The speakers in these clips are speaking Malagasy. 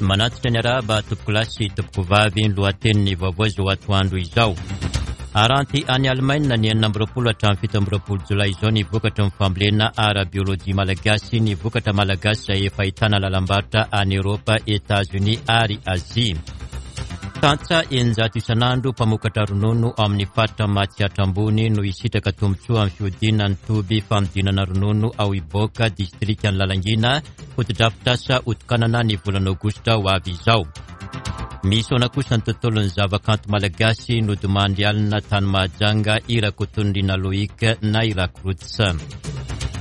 Manatitra ny arahaba tompokolahy sy tompokovavy ny lohatenin'ny vaovao izao atoandro izao. Aranty any Alemaina ny 26 hatramin'ny 27 jolay izao ny vokatry ny fambolena ara-biolojia malagasy, ny vokatra malagasy izay efa ahitana lalam-barotra any Eoropa, Etazonia ary Azia. Tantsaha 600 isan'andro mpamokatra ronono ao amin'ny faritra Matsiatra Ambony no hisitraka tombontsoa amin'ny fihodinan'ny toby fanodinana ronono ao Iboaka, distrikan'i Lalangina, Fotodrafitrasa hotokanana ny volana aogositra ho avy izao. Misaona kosa ny tontolon'ny zavakanto malagasy nodimandry alina tany Mahajanga i Rakotonirina Loïc na i Rakroots.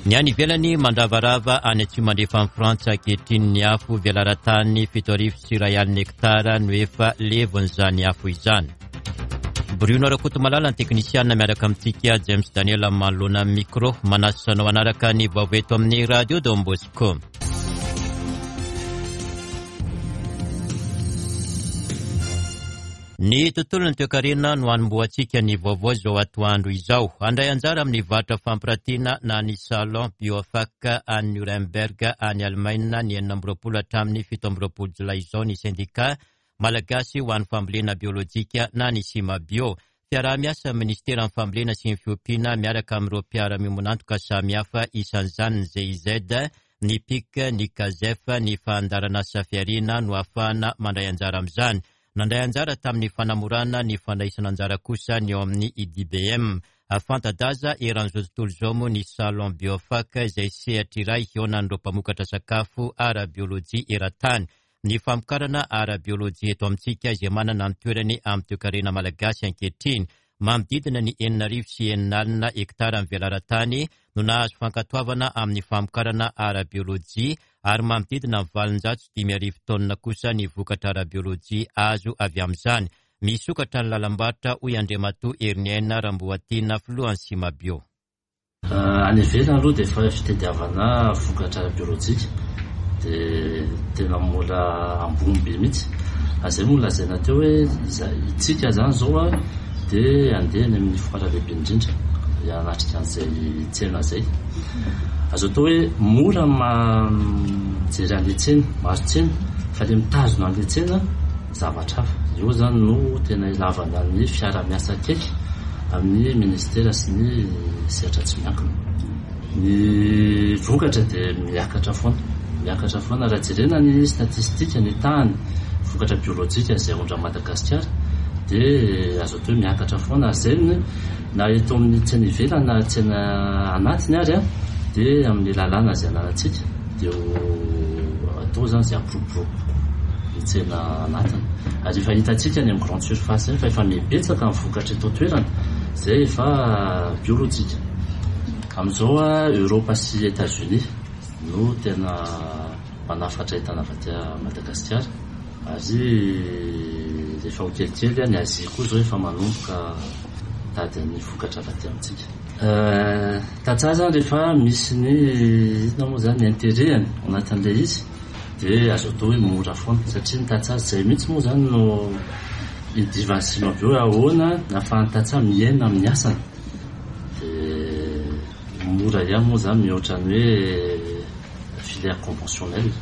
Ny any ivelany mandravarava any atsimo andrefan'i Frantsa ankehitriny ny afo velaran-tany 2170 hektara no efa levon'izany afo izany. Bruno Rakotomalala ny teknisianina miaraka amintsika James Daniel manoloana ny micro manasa anao hanaraka ny vaovao eto amin'ny radio Don Bosco. Ny tontolon'ny toekarena no hanombohantsika ny vaovao izao atoandro izao. Handray anjara amin'ny varotra fampiratiana na ny Salon Biofac any Nuremberg any Alemaina ny 26 hatramin'ny 27 jolay izao ny sendika Malagasy ho an'ny fambolena biolojika na ny Simabio. Fiaraha-miasa amin'ny Minisiteran'ny Fambolena sy ny Fiompiana miaraka amin'ireo mpiara-miombon'antoka samihafa isan'izany ny GIZ, ny pic, ny Cazef, ny fandaharanasa fihariana no ahafahana mandray anjara amin'izany. Nandray anjara tamin'ny fanamorana ny fandraisana anjara kosa ny ao amin'ny IDBM. Fanta-daza eran'izao tontolo izao moa ny Salon Biofac izay sehatra iray hihaonan'ireo mpamokatra sakafo ara-biolojia eran-tany. Ny famokarana ara-biolojia eto amintsika izay manana ny toerany amin'ny toekarena malagasy ankehitriny. Manodidina ny 6006 hektara ny velaran-tany no nahazo fankatoavana amin'ny famokarana ara-biolojia ary manodidina ny 58 taonina kosa ny vokatra ara-biolojia azo avy amin'izany. Misokatra ny lalam-barotra hoy Andriamatoa Heriniaina Ramboatiana, filohan'ny Simabio. Any ivelany aloha dia efa fitadiavana vokatra ara-biolojika dia tena mbola ambony be mihitsy. Ary izay moa nolazaina teo hoe isika izany izao dia handeha any amin'ny foire lehibe indrindra hanatrika an'izay tsena izay. Azo atao hoe mora ny mijery an'ilay tsena, mahazo tsena, fa ilay mitazona an'ilay tsena zavatra hafa. Eo izany no tena ilavana ny fiara-miasa akaiky amin'ny ministera sy ny sehatra tsy miankina. Ny vokatra dia miakatra foana, miakatra foana. Raha jerena ny statistika, ny tahan'ny vokatra biolojika izay aondran'i Madagasikara dia azo atao hoe miakatra foana. Ary izay no na eto amin'ny tsena ivelany na tsena anatiny ary dia amin'ny lalàna izay ananantsika dia ho atao izany izay hampiroborobo kokoa ny tsena anatiny. Ary efa hitantsika any amin'ny grande surface eny fa efa mihabetsaka ny vokatra eto an-toerana izay efa biolojika. Amin'izao Europe sy Etats-Unis no tena manafatra entana avy aty Madagasikara ary efa ho kelikely ny Asie koa izao efa manomboka mitady ny vokatra avy aty amintsika. Tantsaha izany rehefa misy ny inona moa izany ny intérêt-ny ao anatin'ilay izy dia azo atao hoe mora foana satria ny tantsaha izay mihitsy moa izany no idivan'ny Simabio hoe ahoana ny ahafahan'ny tantsaha miaina amin'ny asany dia mora ihany moa izany mihoatra ny hoe filière conventionnelle.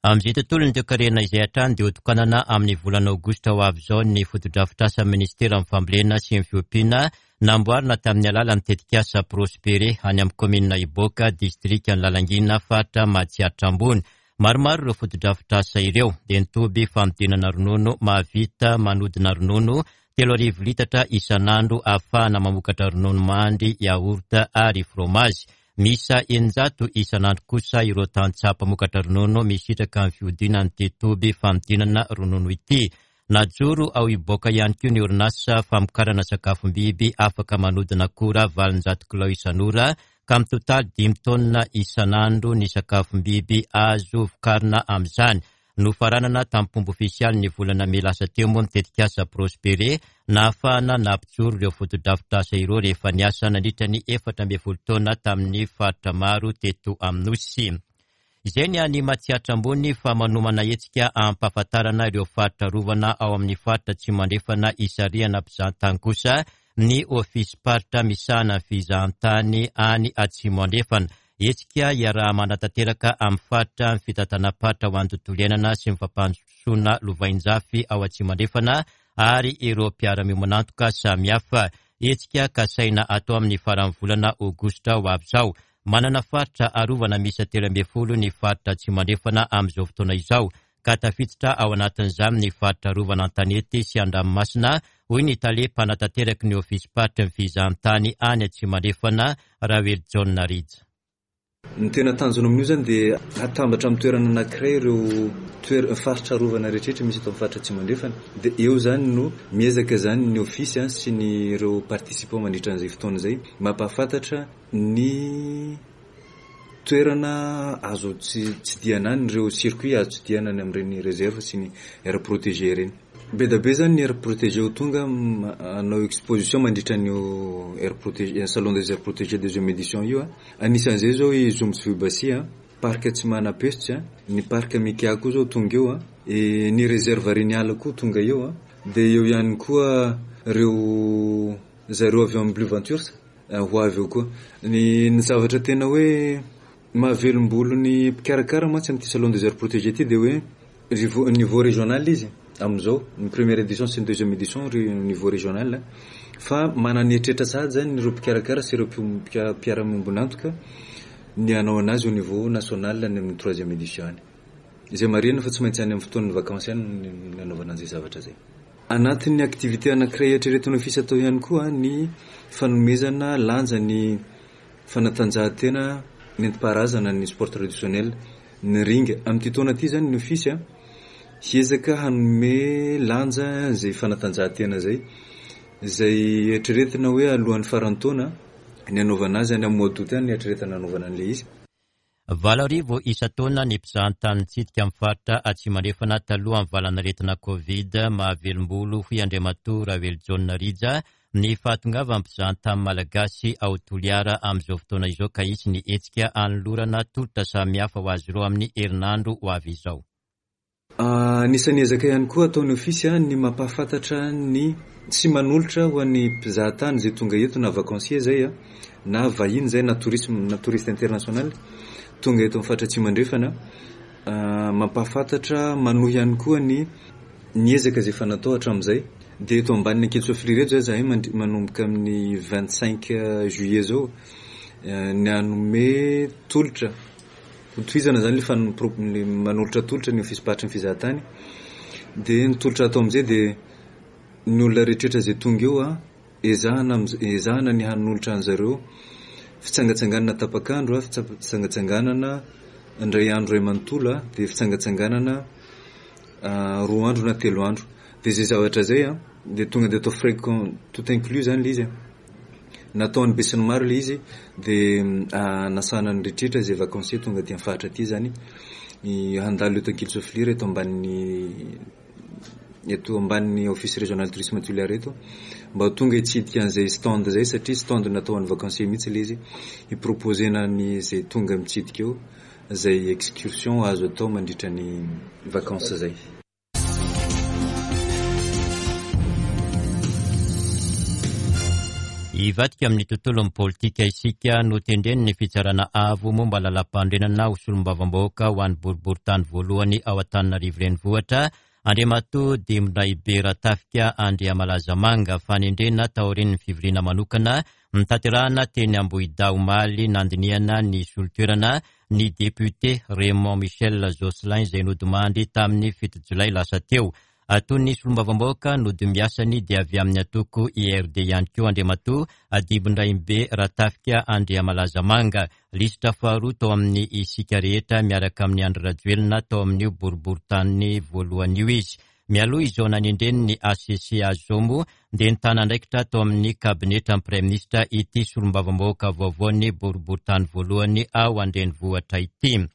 Amin'izay tontolon'ny toekarena izay hatrany dia hotokanana amin'ny volana aogositra ho avy izao ny fotodrafitrasan'ny minisiteran'ny fambolena sy ny fiompiana namboarina tamin'ny alalan'ny tetikasa Prospere any amin'ny kaominina Iboaka, distrikan'i Lalangina, faritra Matsiatra Ambony. Maromaro ireo fotodrafitrasa ireo, dia ny toby fanodinana ronono mahavita manodina ronono 3000 litatra isan'andro ahafahana mamokatra ronono mandry, yaourt ary fromazy. Miisa 600 isan'andro kosa ireo tantsaha mpamokatra ronono misitraka ny fihodinan'ity toby fanodinana ronono ity. Najoro ao Iboaka ihany koa ny orinasa famokarana sakafom-biby afaka manodina akora 800 kilao isan'ora ka mitotaly dimy taonina isan'andro ny sakafom-biby azo vokarina amin'izany. Nofaranana tamim-pomba ofisialy ny volana mey lasa teo moa ny tetikasa Prospere nahafahana nampijoro ireo fotodrafitrasa ireo rehefa niasa nandritra ny 14 taona tamin'ny faritra maro teto amin'ny Nosy. Izay ny any Matsiatra Ambony fa manomana hetsika hampahafantarana ireo faritra arovana ao amin'ny faritra Atsimo Andrefana hisarihana mpizahantany kosa ny ofisim-paritra misahana ny fizahantany any Atsimo Andrefana. Hetsika iaraha-manatanteraka amin'ny faritra ny fitantanam-paritra ho an'ny tontolo iainana sy ny fampandrosoana lovainjafy ao Atsimo Andrefana ary ireo mpiara-miombon'antoka samihafa. Hetsika kasaina atao amin'ny faran'ny volana aogositra ho avy izao. Manana faritra arovana miisa 13 ny faritra Atsimo Andrefana amin'izao fotoana izao, ka tafiditra ao anatin'izany ny faritra arovana an-tanety sy an-dranomasina, hoy ny tale mpanatanterak'ny ny ofisim-paritry ny fizahantany any Atsimo Andrefana, Raoelijaona Rija. Ny tena tanjona amin'io izany dia hatambatra amin'ny toerana anankiray ireo toer- faritra arovana rehetrarehetra misy eto amin'ny faritra Atsimo Andrefana. Dia eo izany no miezaka izany ny ofisy sy ny ireo participants mandritra an'izay fotoana izay mampahafantatra ny toerana azo tsidihana any, ireo circuit azo tsidihana any amin'ireny réserve sy ny aire protégée ireny. Be dia be izany ny aire protégée ho tonga hanao exposition mandritra an'io aire protégée, salon des aires protégées deuxième édition io. Anisan'izay izao i Zombo sy Vohibasia, parc Tsimanapesitsy, ny parc Mikea koa izao tonga eo, ny réserve Reniala koa tonga eo, dia eo ihany koa ireo zareo avy ao amin'ny Blue Ventures ho avy eo koa. Ny ny zavatra tena hoe mahavelom-bolo ny mpikarakara mantsy amin'ity salon des aires protégées ity dia hoe rivo- niveau régional izy amin'izao, ny première édition sy ny deuxième édition ry niveau régional fa manana eritreritra sahady zany ireo mpikarakara sy ireo mpio- mpiara-miombon'antoka ny hanao anazy au niveau national any amin'ny troisième édition any. Izay marihina fa tsy maintsy any amin'ny fotoan'ny vacances any ny anaovana an'izay zavatra izay. Anatin'ny activité anankiray eritreretin'ny ofisy atao ihany koa ny fanomezana lanja ny fanatanjahantena nentim-paharazana ny sport traditionnel, ny ringa. Amin'ity taona ity izany ny ofisy hiezaka hanome lanja izay fanatanjahantena izay, izay eritreretina hoe alohan'ny faran'ny taona ny hanaovana azy, any amin'ny mois d'août any no eritreretina hanaovana an'ilay izy. 8000 isan-taona ny mpizahantany nitsidika ny faritra Atsimo Andrefana talohan'ny valanaretina Covid mahavelom-bolo, hoy Andriamatoa Raoelijaona Rija, ny fahatongavan'ny mpizahantany malagasy ao Toliara amin'izao fotoana izao ka hisy ny hetsika hanolorana tolotra samihafa ho azy ireo amin'ny herinandro ho avy izao. Anisan'ny ezaka ihany koa ataon'ny Ofisy ny mampahafantatra ny sy manolotra ho an'ny mpizahatany izay tonga eto na vacancier izay na vahiny izay na tourisme na touriste international tonga eto amin'ny faritra Atsimo Andrefana mampahafantatra manohy ihany koa ny ny ezaka izay efa natao hatramin'izay dia eto ambanin'ny Ankilisofilia ireto izay izahay manomboka amin'ny 25 juillet izao ny hanome tolotra Hotohizana izany ilay fanompo- ilay manolotra tolotra ny ofisim-paritry ny fizahatany. Dia ny tolotra atao amin'izay dia ny olona rehetrarehetra izay tonga eo an, ezahana am'z- ezahana ny hanolotra an'zareo fitsangatsanganana tapak'andro an, fitsangatsanganana indray andro iray manontolo an, dia fitsangatsanganana roa andro na telo andro. Dia izay zavatra izay an, dia tonga dia atao frais com- tout inclus izany ilay izy e. Nataon'ny besinimaro ilay izy dia nasana ny rehetra izay vacancier tonga aty amin'ny faritra aty izany handalo eto Ankilisoafilira eto ambanin'ny eto ambanin'ny office régional tourisme Toliara eto mba ho tonga hitsidika an'izay stand izay satria stand natao an'ny vacancier mihitsy ilay izy hi-proposer-na ny izay tonga mitsidika eo izay excursion azo atao mandritra ny vacances izay. Hivadika amin'ny tontolon'ny politika isika, notendren'ny Fitsarana Avo momba ny Lalàmpanorenana ho solombavambahoaka ho an'ny boriborintany voalohany ao Antananarivo Renivohitra, Andriamatoa Dimbindraibe Ratafika Andriamalazamanga, fanendrena taorian'ny fivoriana manokana notanterahina teny Ambohidahy omaly nandinihana ny solotoerana ny depiote Raymond Michel Jocelyn izay nodimandry tamin'ny 7 jolay lasa teo. Toy ny solombavambahoaka nodimbiasany dia avy amin'ny antoko IRD ihany koa Andriamatoa Adibindraimbe Ratafika Andriamalazamanga, lisitra faharoa tao amin'ny Isika Rehetra miaraka amin'i Andry Rajoelina tao amin'io boriborintany voalohany io izy. Mialoha izao nanendreny ny HCC azy izao moa dia nitana andraikitra tao amin'ny kabinetran'ny Praiminisitra ity solombavambahoaka vaovaon'ny boriborintany voalohany ao an-drenivohitra ity.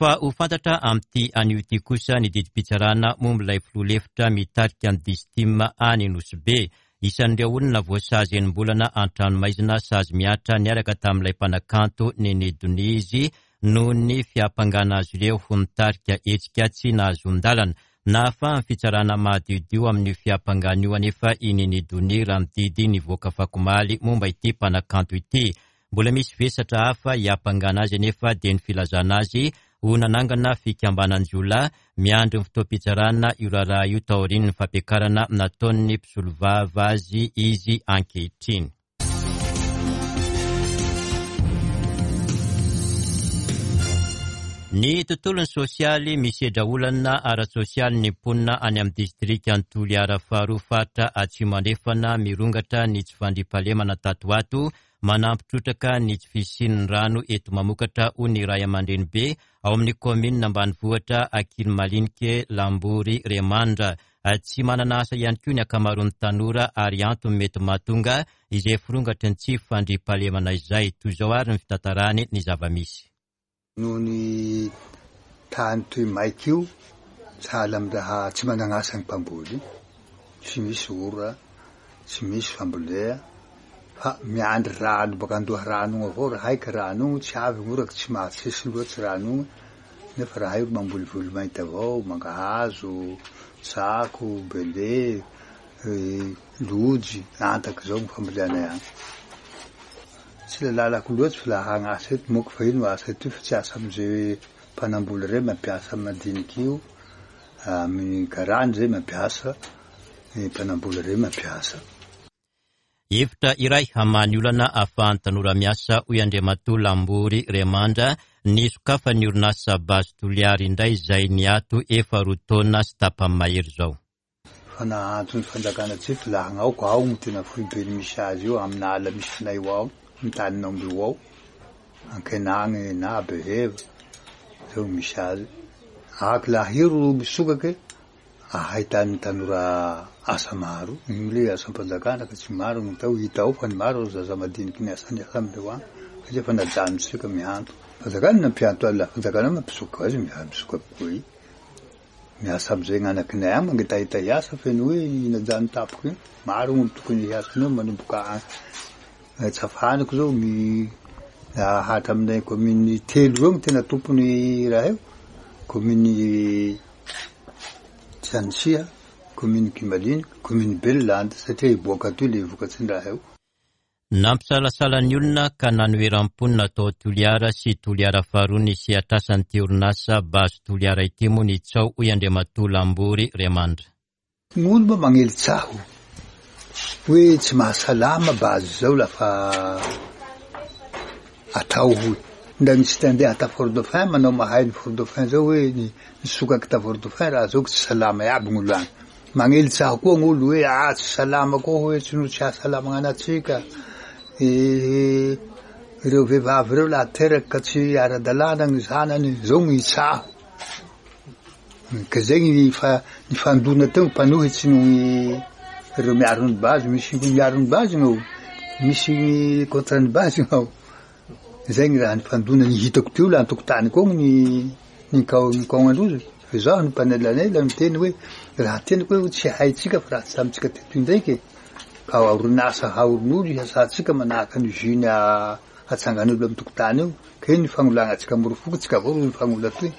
Fa ho fantatra amin'ity anio ity kosa ny didim-pitsarana momba ilay filoha lefitra mitarika ny Distim any Nosy Be. Isan'ireo olona voasazy enim-bolana an-tranomaizina sazy mihatra niaraka tamin'ilay mpanakanto Nene Donia izy noho ny fiampangana azy ireo ho nitarika hetsika tsy nahazoan-dalana. Nahafahan'ny fitsarana mahadiodio amin'io fiampangana io anefa i Nene Donia raha ny didy nivoaka afakomaly momba ity mpanakanto ity. Mbola misy vesatra hafa hiampangana azy anefa dia ny filazana azy ho nanangana fikambanan-jiolahy. Miandry ny fotoam-pitsarana io raharaha io taorian'ny fampiakarana nataon'ny mpisolovava azy izy ankehitriny. Ny tontolon'ny sosialy, Misedra olana ara-tsosialy ny mponina any amin'ny distrikan'i Toliara faharoa faritra Atsimo Andrefana. Mirongatra ny tsy fandriampahalemana tato ho ato, manampy trotraka ny tsy fisian'ny rano eto mamokatra hoy ny ray aman-drenibe ao amin'ny kaominina ambanivohitra Ankilimalinike Lambory Remandra. Tsy manana asa ihany koa ny ankamaroan'ny tanora ary antony mety mahatonga izay firongatry ny tsy fandriampahalemana izay. Toy izao ary ny fitantarany ny zava-misy. Noho ny tany toy maika io, sahala amin'ny raha tsy managn'asa ny mpamboly, tsy misy ora, tsy misy fambolea, fa miandry rano baka an-doharano ogny avao, raha haiko rano ogny tsy avy gny ora ka tsy mahatsesy loatsy rano ogny, nefa raha io mamboly voly mainty avao, mangahazo, tsako, bele, lojy, antaky zao gny famboleanay agny. Tsy le lalako loatsy fa laha hagnasa eto moko fa ino asa etoy fa tsy asa amze mpanamboly rey mampiasa madiniky io, amin'ny karany zay mampiasa, ny mpanambola rey mampiasa. Hevitra iray hamaha ny olana ahafahan'ny tanora miasa, hoy Andriamatoa Lambory Remandra, ny sokafan'ny orinasa Base Toliara indray izay niato efa roa taona sy tapany mahery izao. Fa nahanto ny fanjakana tsy filahagna ao ka ao no tena foibeny misy azy io amina ala misy anay io ao, ny tanin'aomby io ao, Ankenagny na Beheva, zao no misy azy. Aky lahiro misokake ahitan'ny tanora asa maro, iny le asam-panjakana ka tsy maro no atao, hita ao fa ny maro zaza madiniky ny asa ny asa amindreo agny, satria efa najanontsika mihanto. Fanjakana nampihanto azy, la fanjakana mampisoka azy, misoka koa i. Miasa amizay gnanakinay agny mangetaheta hiasa feno hoe najano tampoka iny, maro gn'olo tokony hiasa anao manomboka agny Tsafaniko zao ny hatraminay commune telo reo no tena tompony raha io, commune Tsianisiha, commune Kimalina, commune Belilandy satria hiboaka atoy le vokatry ny raha io. Nampisalasala ny olona ka nanoheran'ny mponina tao Toliara sy Toliara faharoa ny sehatr'asan'ity orinasa Base Toliara ity moa ny tsaho hoy Andriamatoa Lambory Remandra. Ny olo moa magnely tsaho hoe tsy mahasalama base zao lafa atao hoy. Ndra misy te handeha ta Fort Dauphin manao mahay ny Fort Dauphin zao hoe nisokaky ta Fort Dauphin raha zao tsy salama iaby gn'olo agny. Magnely tsaho koa gn'olo hoe ah tsy salama koa hoe tsy no tsy hahasalama gn'anatsika. Ireo vehivavy ireo laha teraky ka tsy ara-dalàna ny zanany, zao gny tsaho. Ka zay gny fa nifandona teo gny mpanohitsy noho gny ireo miaro ny base, misy miaro ny base gn'ao, misy gny contre ny base gn'ao. Zay gny raha nifandona, ny hitako teo la an-tokotaniko ao gny nikaonandrozy. Fa izaho no mpanelanela niteny hoe raha teniko hoe tsy haintsika fa raha tsy tamintsika teto indraiky e, ka orinasa haorin'olo hiasantsika manahaka ny usine hatsangan'olo amin'ny tokotany io, ka ino ny fagnolagnantsika morofoko, tsika avao ro mifagnola toy.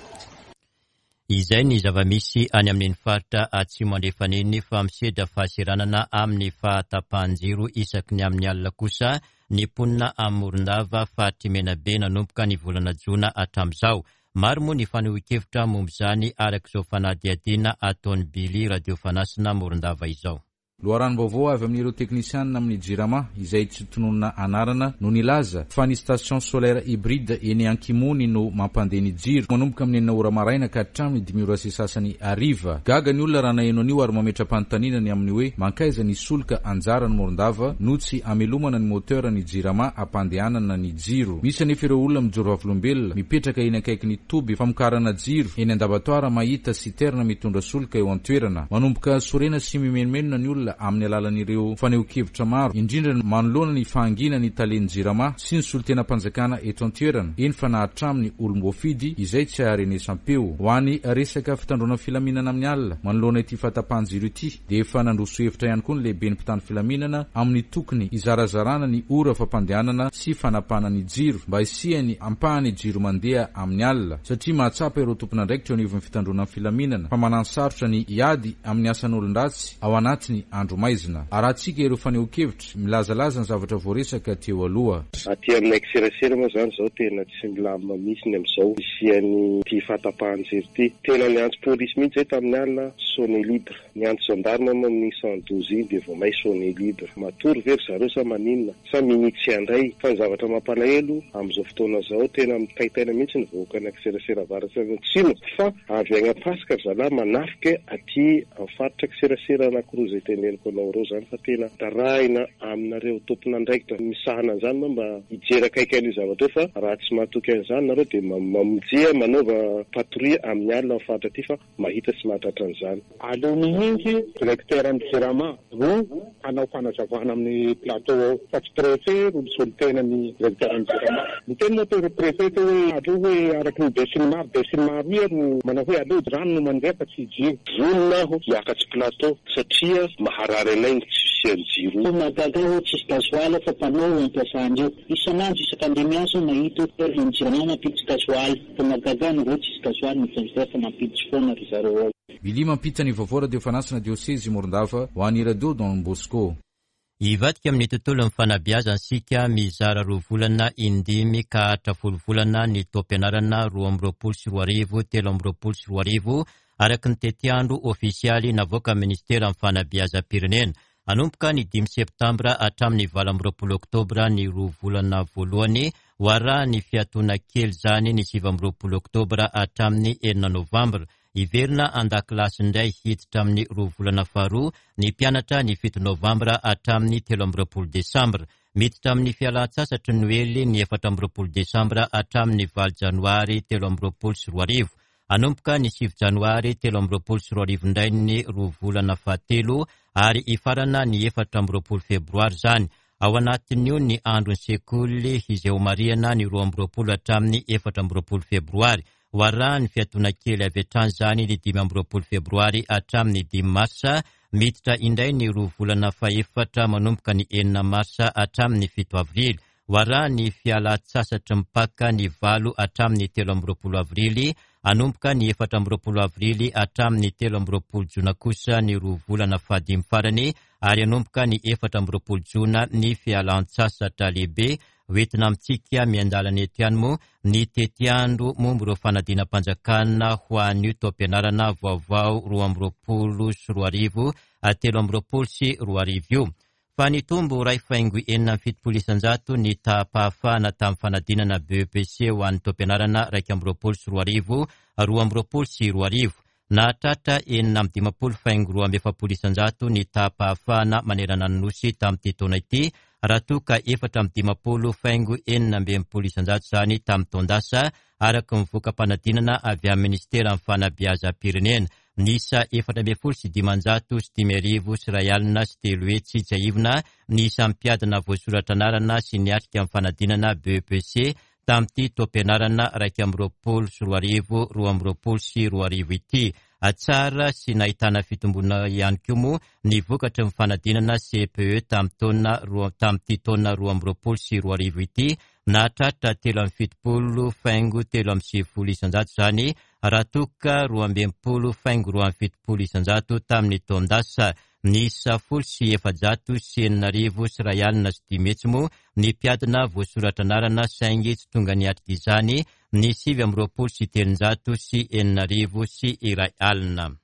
Izay ny zava-misy any amin'iny faritra Atsimo Andrefana iny fa misedra fahaseranana amin'ny fahatapahan-jiro isaky ny amin'ny alina kosa ny mponina any Morondava, faritr'i Menabe nanomboka ny volana jona hatramin'izao. Maro moa ny fanehoan-kevitra momba izany araka izao fanadihadiana ataon'i Billy Radio Fanasina Morondava izao. Loharanom-baovao avy amin'ireo teknisianina amin'ny Jirama, izay tsy tononina anarana, no nilaza fa ny station solaire hybride eny Ankimony no mampandeha ny jiro, manomboka amin'ny enina ora maraina ka hatramin'ny dimy ora sy sasany hariva. Gaga ny olona raha naheno an'io ary mametra-panontaniana ny amin'ny hoe mankaiza ny solika anjaran'i Morondava no tsy amelomana ny moteur ny Jirama hampandehanana ny jiro. Misy anefa ireo olona mijoro vavolombelona, mipetraka eny akaikin'ny toby famokarana jiro eny Andabatoara mahita citerne mitondra solika eo an-toerana. Manomboka sorena sy mimenomenona ny olona amin'ny alalan'ireo fanehoan-kevitra maro, indrindra ny manoloana ny fahanginan'ny talen'ny Jirama sy ny solontenam-panjakana eto an-toerana, eny fa na hatramin'ny olom-boafidy izay tsy aharenesam-peo. Ho an'ny resaka fitandroana filaminana amin'ny alina, manoloana ity fahatapahan-jiro ity, dia efa nandroso hevitra ihany koa ny lehiben'ny mpitandro filaminana amin'ny tokony hizarazarana ny ora fampandehanana sy fanapahana ny jiro mba hisian'ny ampahany jiro mandeha amin'ny alina satria mahatsapa ireo tompon'andraikitra eo anivon'ny fitandroana ny filaminana fa mananosarotra ny hiady amin'ny asan'olon-dratsy ao anatin'ny andro. andro maizina. Arahantsika ireo fanehoan-kevitra milazalaza ny zavatra voaresaka teo aloha. Aty aminay kiserasera moa izany izao tena tsy milamina mihitsy ny amin'izao fisian'ity fahatapahan-jiro ity. Tena niantso polisy mihitsy izay tamin'ny alina, sonner libre. Niantso gendarme moa amin'iny 112 iny dia vao may sonner libre. Matory ve ry zareo sa maninona? Sa minia tsy handray? Fa ny zavatra mampalahelo amin'izao fotoana izao tena mitaitaina mihitsy ny vahoakan'i Akiserasera Avaratra sy Atsimo fa avy agny Ampasika ry zalahy manafika aty amin'ny faritra Akiserasera anakiroa izay teneniko anao ireo izany fa tena darahina aminareo tompon'andraikitra misahana an'izany moa mba hijery akaiky an'io zavatra io fa raha tsy mahatoky an'izany nareo dia mamonjia manaova patrouille amin'ny alina amin'ny faritra aty fa mahita sy mahatratra an'izany. Aleo mihitsy directeur ny jirama no hanao fanazavana amin'ny plateau ao fa tsy préfet no misolo tena ny directeur ny jirama. Niteny moa teo préfet teo hoe aleo hoe araky ny be sy ny maro, be sy ny maro ia no manao hoe aleo rano no mandeha fa tsy jiro. Vonona aho hiakatsy plateau satria maharary anay ny tsy fisian'ny jiro. Toa mahagaga ahy hoe tsisy gasoil ao fa panneau no ampiasandreo. Isan'andro isaka andeha miasa aho mahita hoe ny jirama mampiditra gasoil. Fa mahagaga ahy nareo tsisy gasoil ny frigidaire fa mampiditra foana ry zareo ao. Billy mampita ny vaovao radio fanasana diosezy Morondava ho an'ny radio Don Bosco. Hivadika amin'ny tontolon'ny fanabeazana isika mizara roa volana in-dimy ka hatra folo volana ny taom-pianarana 2022 2023 araka ny tetiandro ofisialy navoakan'ny Ministeran'ny Fanabeazam-pirenena. Hanomboka ny dimy septambra hatramin'ny 28 oktobra ny roa volana voalohany, ho arahan'ny fiatoana kely izany ny 29 oktobra hatramin'ny enina novambra. Hiverina an-dakilasy indray hiditra amin'ny roa volana faharoa ny mpianatra ny fito novambra hatramin'ny 23 desambra. Miditra amin'ny fialan-tsasatry ny Noely ny 24 desambra hatramin'ny valo janoary 2023. Hanomboka ny sivy janoary 2023 indray ny roa volana fahatelo ary hifarana ny 24 febroary izany. Ao anatin'io ny andron'ny sekoly izay homarihana ny 22 hatramin'ny 24 febroary. Ho arahan'ny fiatoana kely avy hatrany izany ny 25 febroary hatramin'ny dimy marsa. Miditra indray ny roa volana fahefatra manomboka ny enina marsa hatramin'ny fito avrily. Ho arahan'ny fialan-tsasatry ny Paka ny valo hatramin'ny 23 avrily, hanomboka ny 24 avrily hatramin'ny 23 jona kosa ny roa volana fahadimy farany ary hanomboka ny 24 jona ny fialan-tsasatra lehibe. Hoentina amintsika miandalana eto ihany moa ny tetiandro momba ireo fanadinam-panjakana ho an'io taom-pianarana vaovao 2022 2023 io. Fa nitombo iray faingo 76% ny taham-pahafahana tamin'ny fanadinana BEPC ho an'ny taom-pianarana 2021 2022. Nahatratra 56 faingo 42% ny taham-pahafahana manerana ny Nosy tamin'ity taona ity, raha toa ka 54 faingo 66% izany tamin'ny taon-dasa, araka ny voka-panadinana avy amin'ny Minisiteran'ny Fanabeazam-pirenena. Niisa 1514,501 tsiahivina ny isan'ny mpiadina voasoratra anarana sy niatrika ny fanadinana BEPC tamin'ity taom-pianarana 2021 2022 ity. Tsara sy nahitana fitomboana ihany koa moa ny vokatry ny fanadinana CPE tamin'ity taona 2022 ity, nahatratra 73.93% izany raha toa ka 62 faingo 72 isanjato tamin'ny taon-dasa. Niisa 1510 601 moa ny mpiadina voasoratra anarana saingy tsy tonga niatrika izany ny 329 601.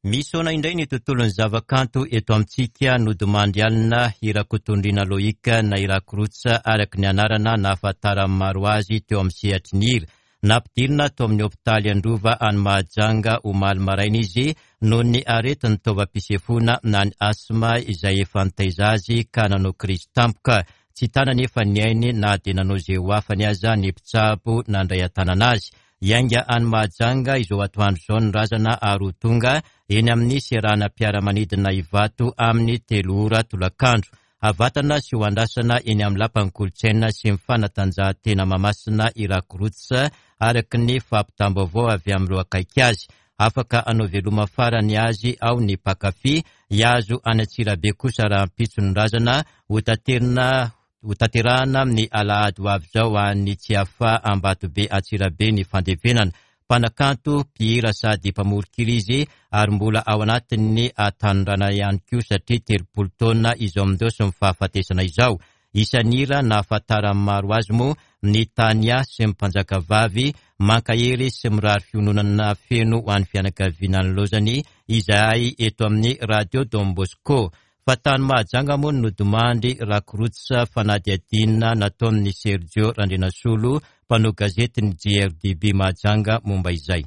Misaona indray ny tontolon'ny zavakanto eto amintsika, nodimandry alina i Rakotondriana Loïc na i Rakorotsa araka ny anarana nahafantaran'ny maro azy teo amin'ny sehatry ny hira. Nampidirina tao amin'ny hopitaly Androva any Mahajanga omaly maraina izy noho ny aretin'ny taovam-pisefoana na ny asthme izay efa nitaiza azy ka nanao krizy tampoka. Tsy tana anefa ny ainy na dia nanao izay ho afany aza ny mpitsabo nandray an-tanana azy. Hiainga any Mahajanga izao atoandro izao ny razana ary ho tonga eny amin'ny seranam-piaramanidina Ivato amin'ny telo ora tolakandro. Havatana sy ho andrasana eny amin'ny Lapan'ny Kolontsaina sy ny Fanatanjahantena Mahamasina i Rakorotsa araka ny fampitam-baovao avy amin'ireo akaiky azy. Afaka hanao veloma farany azy ao ny mpankafy. Hihazo any Antsirabe kosa rahampitso ny razana hotaterina Hotanterahana amin'ny alahady ho avy izao any Tsiafahy Ambatobe Antsirabe ny fandevenana. Mpanakanto, mpihira sady mpamoron-kira izy ary mbola ao anatin'ny hatanorana ihany koa satria 30 taona izao amin'izao sy ny fahafatesana izao. Isan'ny hira nahafantaran'ny maro azy moa ny Tania sy ny Mpanjakavavy, mankahery sy mirary fiononana feno ho an'ny fianakaviana nilaozany izahay eto amin'ny Radio Don Bosco. Fa tany Mahajanga moa no nodimandry Rakorotsa fanadihadiana nataon'i Sergio Randrianasolo, mpanao gazetin'ny JRDB Mahajanga momba izay.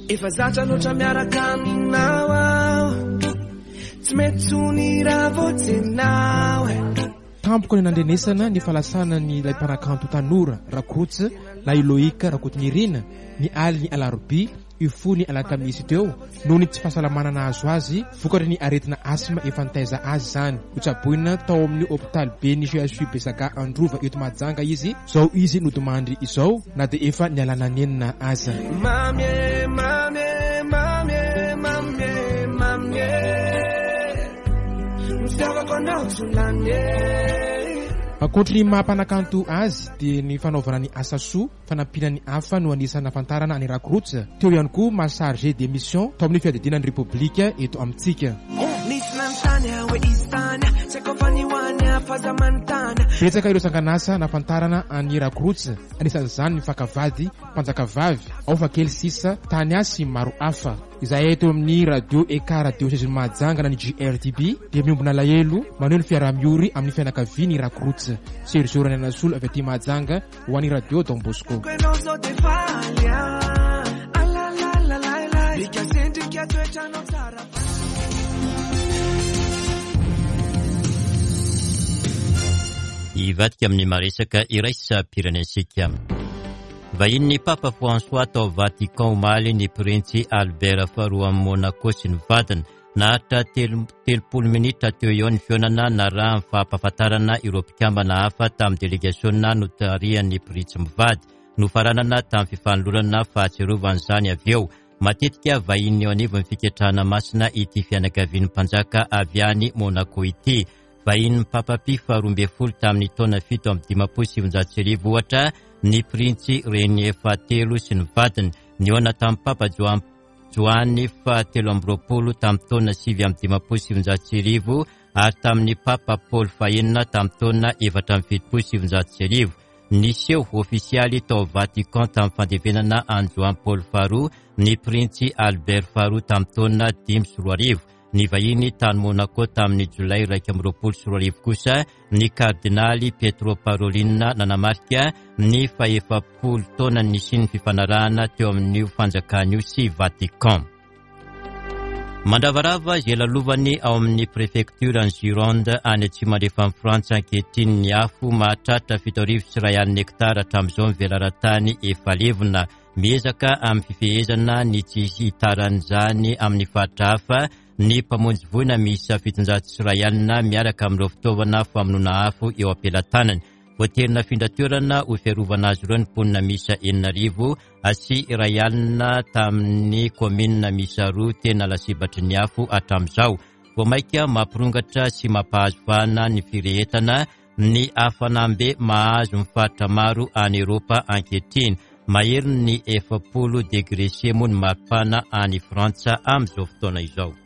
Efa zatra loatra miaraka aminao aho Tsy mety tsony raha vao tsenao e Tampoka ny nandrenesana ny fahalasanan'ilay mpanakanto tanora Rakots na i Loïc Rakotonirina ny alin'ny alarobia hifoha ny alakamisy teo noho ny tsy fahasalamana nahazo azy vokatry ny aretina asthme efa nitaiza azy izany. Notsaboina tao amin'ny hopitaly ben'ny CHU Besaka Androva eto Mahajanga izy izao izy nodimandry izao na dia efa nialana nenina aza. Mamy e, mamy e, mamy e, mamy e, mamy e Ny fitiavako anao tsy ho lany e. Ankoatry ny maha mpanakanto azy dia ny fanaovana ny asa soa Fanampiana ny hafa no anisan'ny nahafantarana an'i Rakroots. Teo ihany koa maha chargé de mission tao amin'ny fiadidiana ny Repoblika eto amintsika. Betsaka ireo sangan'asa nahafantarana an'i Rakroots, anisan'izany ny Fakavady, Mpanjakavavy, Ao fa kely sisa, Tania sy maro hafa. Izahay eto amin'ny Radio Ekar Diosezin'i Mahajanga na ny JRDB dia miombona alahelo maneho ny fiaraha-miory amin'ny fianakavian'i Rakroots. Sergio Randrianasolo avy aty Mahajanga ho an'ny Radio Don Bosco. Hivadika amin'ny maresaka iraisam-pirenentsika. Vahinin'ny Papa François tao Vatican omaly ny Printsy Albert faharoa amin'i Monaco sy ny vadiny. Naharitra 30 minitra teo eo ny fihaonana narahan'ny fampahafantarana ireo mpikambana hafa tamin'ny delegasiona notarihan'ny Printsy mivady. Nofaranana tamin'ny fifanolorana fahatsiarovana izany avy eo. Matetika vahiny eo anivon'ny fiketrahana masina ity fianakavian'ny mpanjaka avy any Monaco ity. Vahinin'ny Papa Pie faharoa ambin'ny folo tamin'ny taona 1957 ohatra ny Printsy Renier fahatelo sy ny vadiny. Nihaona tamin'ny Papa Joany Joany fahatelo amby roapolo tamin'ny taona 1959 ary tamin'ny Papa Paoly fahenina tamin'ny taona 1974. Niseho ofisialy tao Vatican tamin'ny fandevenana an'i Joany Paoly faharoa ny Printsy Albert faharoa tamin'ny taona 2005. Nivahiny tany Monaco tamin'ny Jolay 2021 kosa ny Kardinaly Pietro Parolin nanamarika ny fahefapolo taona nisian'ny fifanarahana teo amin'io fanjakana io sy Vatican. Mandravarava izay lalovany ao amin'ny prefektioran'i Gironde any atsimo andrefan'i Frantsa ankehitriny ny afo mahatratra 170 hektara hatramin'izao ny velaran-tany efa levona. Miezaka amin'ny fifehezana ny tsy hitaran'izany amin'ny faritra hafa ny mpamonjy voina miisa 170 miaraka amin'ireo fitaovana famonoana afo eo am-pelatanany. Voatery nafindra toerana ho fiarovana azy ireo ny mponina miisa 660 tamin'ny kaominina miisa roa tena lasibatry ny afo hatramin'izao. Vao mainka mampirongatra sy mampahazo vahana ny firehetana ny hafanam-be mahazo ny faritra maro any Eropa ankehitriny. Maherin'ny 40 degré C moa ny maripana any Frantsa amin'izao fotoana izao.